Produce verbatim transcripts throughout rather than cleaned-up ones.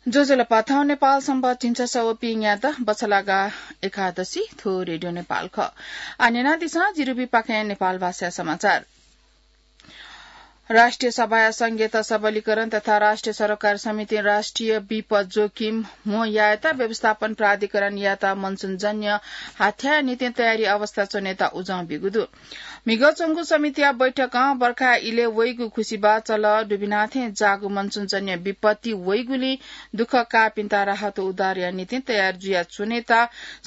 ज्वजलपा, थौं नेपाल सम्बत झिंछसः व पीन्यादँ बछलागा एकादशी, थ्व रेडियो नेपाल खः। आः न्यनादिसँ जिरुबीपाखें नेपाल भाषा समाचार। राष्ट्रिय सभाया संघीयता सबलीकरण तथा राष्ट्रिय सरोकार समितिं राष्ट्रिय विपद जोखिम म्हो यायेत व्यवस्थापन प्राधिकरणयात मनसुनजन्य हाथ्याया निंतिं तयारी अवस्था च्वनेत उजं ब्यूगु दु। म्हिगः च्वंगु समितिया बैठकं बर्खा इलय् वइगु खुसिबाः चलः दुबिनाथें जाःगु मनसुनजन्य विपत्ति वइगुलिं दुःख काःपिन्त राहत उद्धारया निंतिं तयार जुयाच्वनेत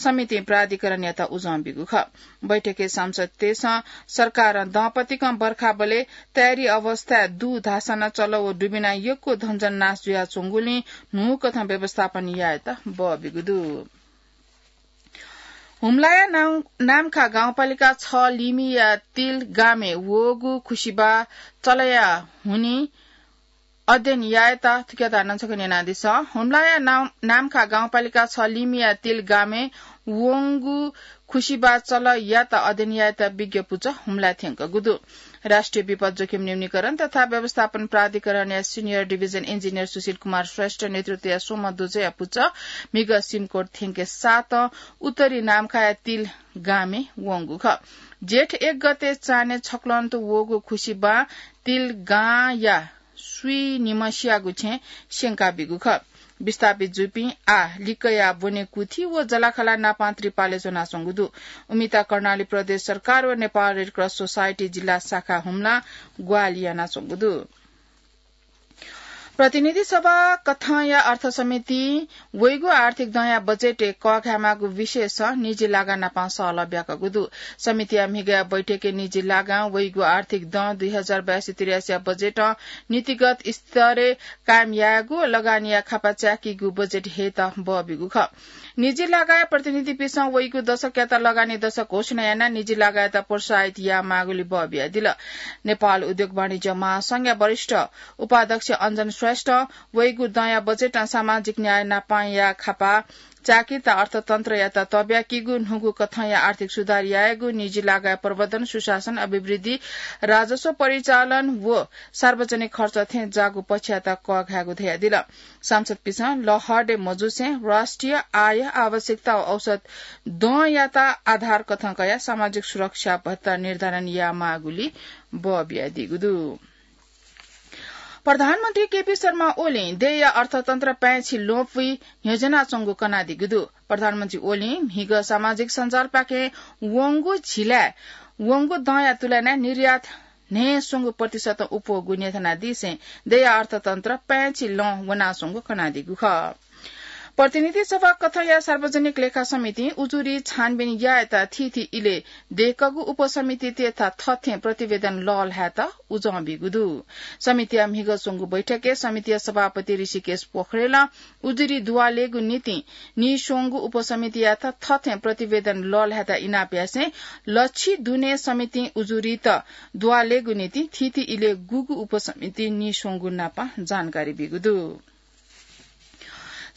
समितिं प्राधिकरणयात उजं ब्यूगु खः। बैठकय् सांसदतय्सं सरकारं दँपतिकं बर्खाबलय् तयारी अवस्थाय् दु धाःसा नं चलः व दुबिनां यक्व धनजन नाश जुयाच्वंगुलिं न्हूकथं व्यवस्थापन यायेत बः ब्यूगु दु। हुम्लाया नाम-, नाम्खा गाउँपालिका छ लिमिया तिल गामय् वःगु खुसिबाः चलःया हुनिं अध्ययन यायेत, थुकियात नं छकः न्यनादिसँ। हुम्लाया नाम-, नाम्खा गाउँपालिका छ लिमिया तिल गामय् वंगु खुसिबाः चलःयात अध्ययन यायेत विज्ञ पुचः हुम्लाय् थ्यंकूगु दु। राष्ट्रिय विपद जोखिम न्यूनीकरण तथा व्यवस्थापन प्राधिकरणया senior division engineer सुशील कुमार श्रेष्ठ नेतृत्वया स्वम्ह दुजःया पुचः म्हिगः सिमकोट थ्यंके सातं उत्तरी नाम्खाया तिल गामय् वंगु खः। जेठ एक गते चान्हय् छक्वलं वःगु खुसिबां तिल गांया स्वीनिम्हसियागु छेँ स्यंका बीगु खः। विस्थापित जूपिं आः लिक्कया ब्वने कुथि व जलाखला नापां त्रिपालय् च्वनाच्वंगु दु। उमित कर्णाली प्रदेश सरकार व नेपाल रेड क्रस सोसाइटी जिल्ला शाखा हुम्लां ग्वाहालि यानाच्वंगु दु। प्रतिनिधि सभा कथंया अर्थ समितिं वइगु आर्थिक दँया बजेटय् कःघायेमाःगु विषयसं निजी लागा नाप सहलह ब्याकूगु दु। समितिया म्हिगःया बैठकय् निजी लागां वइगु आर्थिक दँ दुई हजार बयासी त्रियासीया बजेटं नीतिगत स्तरय् कायम यायेगु, लगानीया खापा च्याकीगु बजेट हयेत बः ब्यूगु खः। निजी लागाया प्रतिनिधिपिसं वइगु दशकयात लगानी दशक घोषणा यानाः निजी लागायात प्रोत्साहित यायेमाःगुली बः बियादिल। नेपाल उद्योग वाणिज्य महासंघया वरिष्ठ उपाध्यक्ष अञ्जन श्रेष्ठं वइगु दँया बजेटं सामाजिक न्याय नापंया खापा च्याकीत अर्थतन्त्रयात तब्याकीगु, न्हूगु कथंया आर्थिक सुधार यायेगु, निजी लागाया प्रवर्धन, सुशासन, अभिवृद्धि, राजस्व परिचालन व सार्वजनिक खर्च थें जाःगु पक्षयात कःघायेगु धयादिल। सांसदपिसं लहरय् मजूसें राष्ट्रिय आय, आवश्यकता व औसत दँयात आधार कथं कयाः सामाजिक सुरक्षा भत्ता निर्धारण यायेमाःगुली बः बियादीगु दु। प्रधानमन्त्री केपी शर्मा ओलीं देय्‌या अर्थतन्त्र पाय्‌छि ल्वपुइ न्ह्यज्वनाच्वंगु कनादीगु दु। प्रधानमन्त्री ओलीं म्हिगः सामाजिक सञ्जालपाखें वंगु झिलाय् वंगु दँया तुलनाय् निर्यात न्हय्‌स्वंगू प्रतिशतं अप्वःगु न्ह्यथनादीसें देय्‌या अर्थतन्त्र पाय्‌छि ल्वपुइ वनाच्वंगु कनादीगु खः। प्रतिनिधि सभा कथंया सार्वजनिक लेखा समितिं उजुरी छानबिन यायेत थीथी इलय् दय्‌कूगु उपसमितितय्‌त थथें प्रतिवेदन लःल्हायेत उजं ब्यूगु दु। समितिया म्हिगः च्वंगु बैठकय् समितिया सभापति ऋषिकेश पोखरेलं उजुरी दुवालेगु निंतिं नीस्वंगू उपसमितियात थथें प्रतिवेदन लःल्हायेत इनाप यासें लच्छि दुने समितिं उजुरीत दुवालेगु निंतिं थीथी इलय् गुगु उपसमितिं नीस्वंगू नाप जानकारी ब्यूगु दु।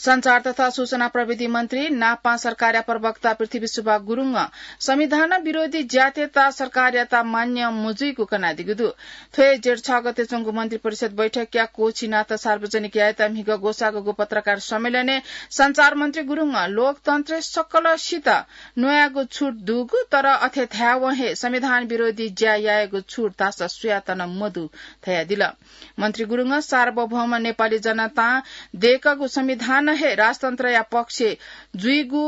सञ्चार तथा सूचना प्रविधि मन्त्री नापं सरकारया प्रवक्ता पृथ्वी सुब्बा गुरुङं संविधान विरोधी ज्यातय्‌त सरकारयात मान्य मजुइगु कनादीगु दु। थ्व हे जेठ छ गते च्वंगु मन्त्री परिषद बैठकया क्वःछिनात सार्वजनिक यायेत म्हिगः ग्वसाःगु पत्रकार सम्मेलनय् सञ्चार मन्त्री गुरुङं लोकतन्त्रय् सकलसित न्वयागु छुट दुगु, तर अथे धायेवं हे संविधान विरोधी ज्या यायेगु छुट धाःसा सुयात नं मदु धयादिल। मन्त्री गुरुङं सार्वभौम नेपाली जनतां दय्‌कूगु संविधान हे राजतन्त्रया पक्षय् जुइगु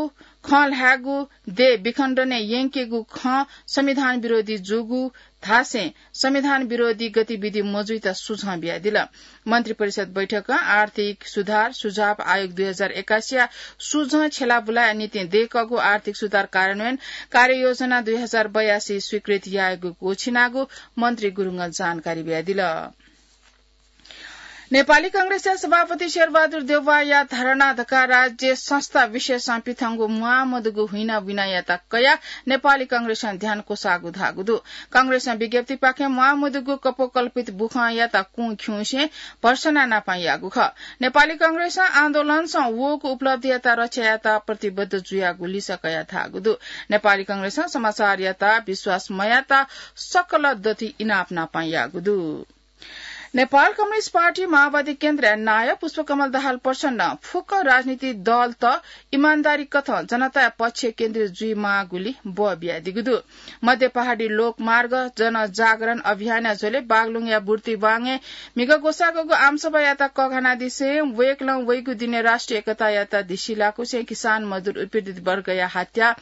खँ ल्हायेगु, देय् विखण्डनय् यंकेगु खँ संविधान विरोधी जूगु धासें संविधान विरोधी गतिविधि मजुइत सुझाव बियादिल। मन्त्री परिषद बैठकं आर्थिक सुधार सुझाव आयोग दुई हजार एकासीया सुझाव छ्यलाबुलाया निंतिं दय्‌कूगु आर्थिक सुधार कार्यान्वयन कार्ययोजना दुई हजार बयासी स्वीकृत यायेगु क्वःछिनागु मन्त्री गुरुङं जानकारी बियादिल। नेपाली कांग्रेसया सभापति शेरबहादुर देउवाया धारणा धकाः राज्य संस्था विशेषं पिथंगु म्वाःमदुगु हुइना बुइनायात कयाः नेपाली कांग्रेसं ध्यान क्वसाःगु धाःगु दु। कांग्रेसं विज्ञप्तिपाखें म्वाःमदुगु कपोकल्पित बुखँयात कुँ खिउँसे भर्सना नापं याःगु खः। नेपाली कांग्रेसं आन्दोलनसं वःगु उपलब्धियात रक्षा यायेत प्रतिबद्ध जुयागु लिसः कयाः धाःगु दु। नेपाली कांग्रेसं समाचारयात विश्वास मयायेत सकल दथुइ इनाप नापं याःगु दु। नेपाल कम्युनिस्ट पार्टी माओवादी केन्द्रया नायः पुष्पकमल दाहाल प्रचण्डं फुक्क राजनीतिक दलत इमानदारी कथं जनताया पक्ष केन्द्रित जुइमाःगुली बः बियादीगु दु। मध्य पहाडी लोकमार्ग जनजागरण अभियानया झ्वलय् बागलुङया बुर्तिवाङय् म्हिगः ग्वसाःगु आमसभायात कःघानादिसें वय्कलं वइगु दिनय् राष्ट्रिय एकतायात धिसिलाकुसें किसान मजदुर उत्पीडित वर्गया हत्या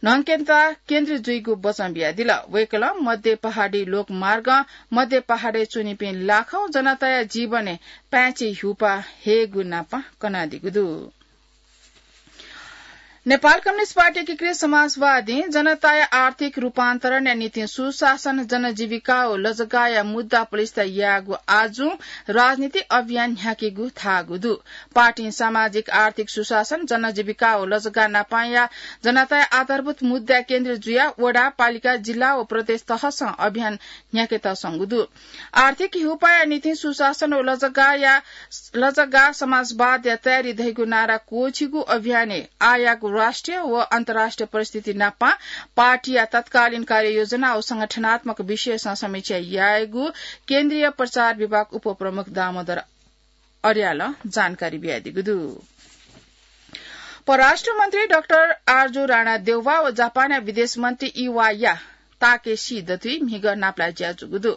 न्हंकेत केन्द्रित जुइगु वचं बियादिल। वय्कलं मध्य पहाडी लोकमार्गं मध्य पहाडय् च्वनीपिं लाखौं जनताया जीवनय् पाय्छि ह्युपा हयेगु नापं कनादीगु दु। नेपाल कम्युनिस्ट पार्टी एकीकृत समाजवादीं जनताया आर्थिक रूपान्तरणया निंतिं सुशासन, जनजीविका व लजगाःया मुद्दा पुलिसता याःगु आजुं राजनीतिक अभियान न्ह्याकेगु धाःगु दु। पार्टीं सामाजिक आर्थिक सुशासन, जनजीविका व लजगाः नापांया जनताया आधारभूत मुद्दा केन्द्रित जुयाः वडा, पालिका, जिल्ला व प्रदेश तहसं अभियान न्ह्याकेत संगु दु। आर्थिक ह्युपाया निंतिं सुशासन व लजगाःया, लजगाः समाजवादया तयारी धइगु नारा क्वःछिगु अभियानय् आःयागु राष्ट्रिय व अन्तर्राष्ट्रिय परिस्थिति नापं पार्टीया तत्कालीन कार्ययोजना व संगठनात्मक विषयसं समीक्षा यायेगु केन्द्रीय प्रचार विभाग उपप्रमुख दामोदर अर्यालं जानकारी बियादीगु दु। परराष्ट्र मन्त्री डाक्टर आरजु राणा देउवा व जापानया विदेश मन्त्री इवाया ताकेसी दथुइ म्हिगः नापलाये ज्या जूगु दु।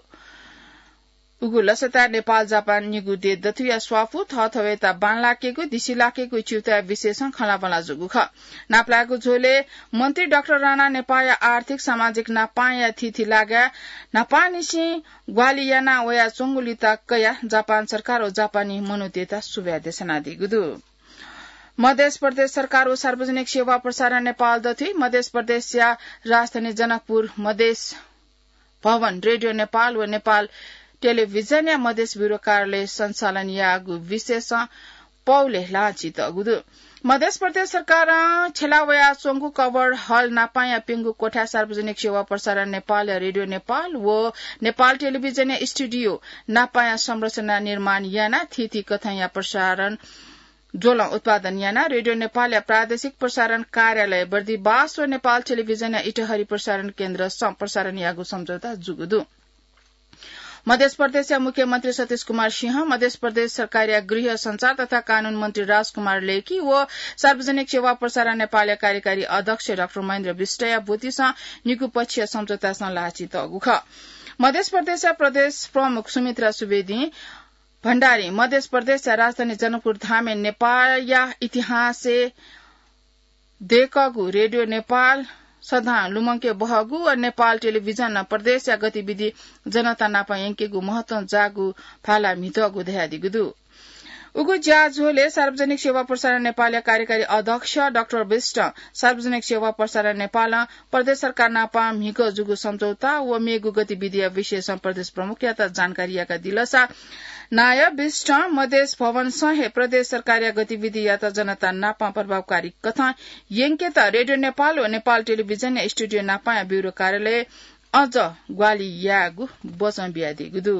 उगु लसताय् नेपाल जापान निगू देय् दथुया स्वापू, थःथवय्‌त बांलाकेगु, दिसिलाकेगु च्यूताया विषयसं खँल्हाबल्हा जूगु खः। नापलायेगु झ्वलय् मन्त्री डाक्टर राणा नेपाःया आर्थिक सामाजिक नापांया थीथी लागाय् न्हापांनिसें ग्वाहालि याना वयाच्वंगुलित कयाः जापान सरकार व जापानी मनूतय्‌त सुभाय् देछानादीगु दु। मधेस प्रदेश सरकार व सार्वजनिक सेवा प्रसारण नेपाल दथुइ मधेस प्रदेशया राजधानी जनकपुर मधेस भवन, रेडियो नेपाल व नेपाल टेलिभिजनया मधेस ब्यूरो कार्यालय सञ्चालन याःगु विषयसं पौले ल्हाःचितःगु दु। मधेस प्रदेश सरकारं छ्यला वयाच्वंगु कभर हल नापांया प्यंगू कोठाय् सार्वजनिक सेवा प्रसारण नेपालया रेडियो नेपाल व नेपाल टेलिभिजनया स्टुडियो नापांया संरचना निर्माण यानाः थीथी कथंया प्रसारण ज्वलं उत्पादन यानाः रेडियो नेपालया प्रादेशिक प्रसारण कार्यालय बर्दिबास व नेपाल टेलिभिजनया इटहरी प्रसारण केन्द्रसं प्रसारण याःगु सम्झौता जूगु दु। मधेस प्रदेशया मुख्यमन्त्री सतीश कुमार सिंह, मधेस प्रदेश सरकारया गृह, सञ्चार तथा कानून मन्त्री राजकुमार लेखी व सार्वजनिक सेवा प्रसारण नेपालया कार्यकारी अध्यक्ष डाक्टर महेन्द्र विष्टया ब्वतिसं निगू पक्षीय सम्झौतासं ल्हाःचितःगु खः। मधेस प्रदेशया प्रदेश प्रमुख सुमित्रा सुवेदीं भण्डारीं मधेस प्रदेशया राजधानी जनकपुर धामय् नेपाःया इतिहासय् दय्‌कःगु रेडियो नेपाल सदां लुमंके बहःगु व नेपाल टेलिभिजनं प्रदेशया गतिविधि जनता नाप यंकेगु महत्वं जाःगु भाला म्हितःगु धयादीगु दु। उगु ज्याझ्वलय् सार्वजनिक सेवा प्रसारण नेपालया कार्यकारी अध्यक्ष डाक्टर विष्टं सार्वजनिक सेवा प्रसारण नेपालं प्रदेश सरकार नाप म्हिगः जूगु सम्झौता व मेगु गतिविधिया विषयसं प्रदेश प्रमुखयात जानकारी याकादिलसा नायः विष्टं मधेस भवनसं हे प्रदेश सरकारया गतिविधियात जनता नाप प्रभावकारी कथं यंकेत रेडियो नेपाल व नेपाल टेलिभिजनया स्टुडियो नापांया ब्यूरो कार्यालय अझ ग्वाहालि यायेगु वचं बियादीगु दु।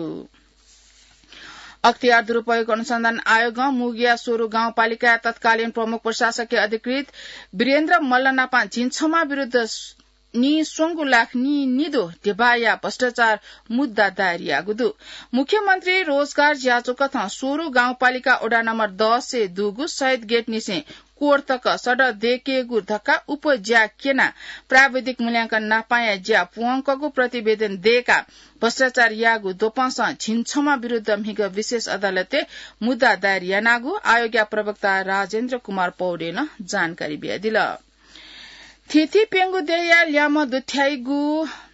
अख्तियार दुरुपयोग अनुसन्धान आयोगं मुगुया सोरु गाउँपालिकाया तत्कालीन प्रमुख प्रशासकीय अधिकृत वीरेन्द्र मल्ल नाप झिंछम्ह विरुद्ध नीस्वंगू लाख नीनिदँ ध्यबाया भ्रष्टाचार मुद्दा दायर याःगु दु। मुख्यमन्त्री रोजगार ज्याझ्वः कथं सोरु गाउँपालिका वडा नम्बर दसय् दुगु शहीद गेटनिसें कोर तक सडक दय्‌केगु धकाः उपज्या क्यनाः प्राविधिक मूल्यांकन नापांया ज्या प्वंकूगु प्रतिवेदन दय्‌काः भ्रष्टाचार याःगु द्वपंसं झिंछम्ह विरुद्ध म्हिगः विशेष अदालतय् मुद्दा दायर यानागु आयोगया प्रवक्ता राजेन्द्र कुमार पौडेलं जानकारी बियादिल। थीथी प्यंगू देय्‌या ल्याय्म्ह दुथ्याइगु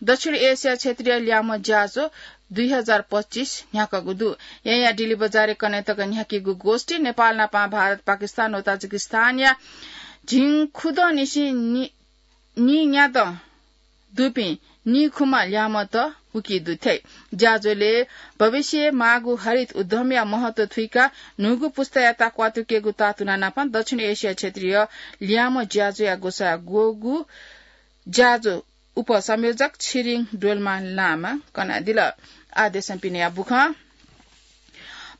दक्षिण एसिया क्षेत्रीय ल्याय्म्ह ज्याझ्वः दुई हजार पच्चिस न्ह्याकूगु दु। येँया डिल्ली बजारय् कन्हय् तक न्ह्याकीगु गोष्ठी नेपाल नापं भारत, पाकिस्तान व ताजिकिस्तानया झिंखुदँनिसें नि-, नीन्यादँ दुपिं नीखुम्ह ल्याय्म्हत उकी दुथ्याइ। ज्याझ्वलय् भविष्यय् माःगु हरित उद्यमया महत्व थुइकाः न्हूगु पुस्तायात क्वातुकेगु तातुना नापं दक्षिण एसिया क्षेत्रीय ल्याय्म्ह ज्याझ्वःया ग्वसाः ग्वःगु ज्याझ्वः उपसंयोजक छिरिङ डोल्मा लामां कनादिल। आः देशं पिनेया बुखँ।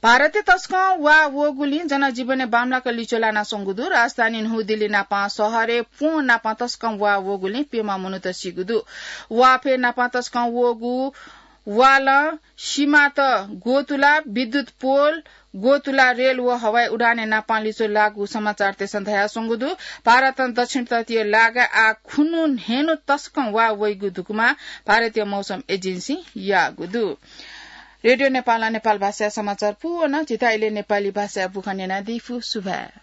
भारतय् तसकं वा वःगुलिं जनजीवनय् बांमलाक लिच्वः लानाच्वंगु दु। राजधानी न्हू दिल्ली नापं शहरय् प्वँ नापं तसकं वा वःगुलिं प्यम्ह मनूत सीगु दु। वाफय् नापं तसकं वःगु वालं, सीमात ग्वतुला, विद्युत पोल, ग्वतुला रेल व हवाई उडानय् नापां लिच्वः लाःगु समाचारतय्सं धयाच्वंगु दु। भारतं दक्षिण तटीय लागाय् आः खुन्हु न्हय्न्हु तसकं वा वइगु धुकुमा भारतीय मौसम एजेन्सीं याःगु दु। रेडियो नेपालं नेपाल भाषाया समाचार पूवन झीथाय् इलय् नेपाली भाषाया बुखँ न्यनादी फु। सुभाय्।